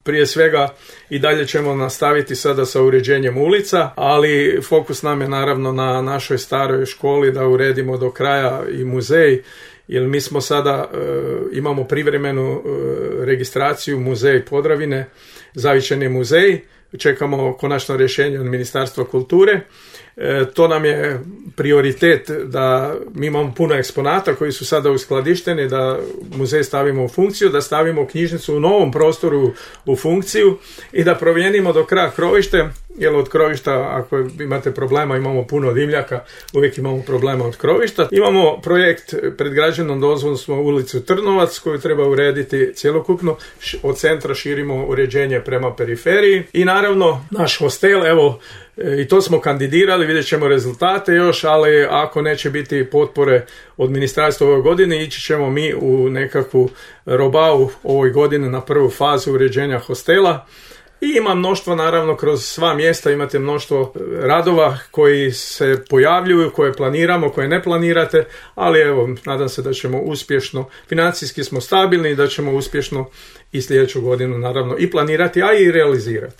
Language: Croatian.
Prije svega i dalje ćemo nastaviti sada sa uređenjem ulica, ali fokus nam je naravno na našoj staroj školi da uredimo do kraja i muzej, jer mi smo sada, imamo privremenu registraciju Muzej Podravine, zavičajni muzej, čekamo konačno rješenje od Ministarstva kulture. To nam je prioritet da mi imamo puno eksponata koji su sada uskladišteni, da muzej stavimo u funkciju, da stavimo knjižnicu u novom prostoru u funkciju i da promijenimo do kraja krovište, jer od krovišta, ako imate problema, imamo puno dimljaka, uvijek imamo problema od krovišta. Imamo projekt pred građevnom dozvolom, smo ulicu Trnovac koju treba urediti cjelokupno, od centra širimo uređenje prema periferiji i naravno naš hostel, evo, i to smo kandidirali, vidjet ćemo rezultate još, ali ako neće biti potpore od ministarstva ove godine, ići ćemo mi u nekakvu robavu ovoj godine na prvu fazu uređenja hostela. I ima mnoštvo, naravno, kroz sva mjesta imate mnoštvo radova koji se pojavljuju, koje planiramo, koje ne planirate, ali evo, nadam se da ćemo uspješno, financijski smo stabilni i da ćemo uspješno i sljedeću godinu naravno i planirati, a i realizirati.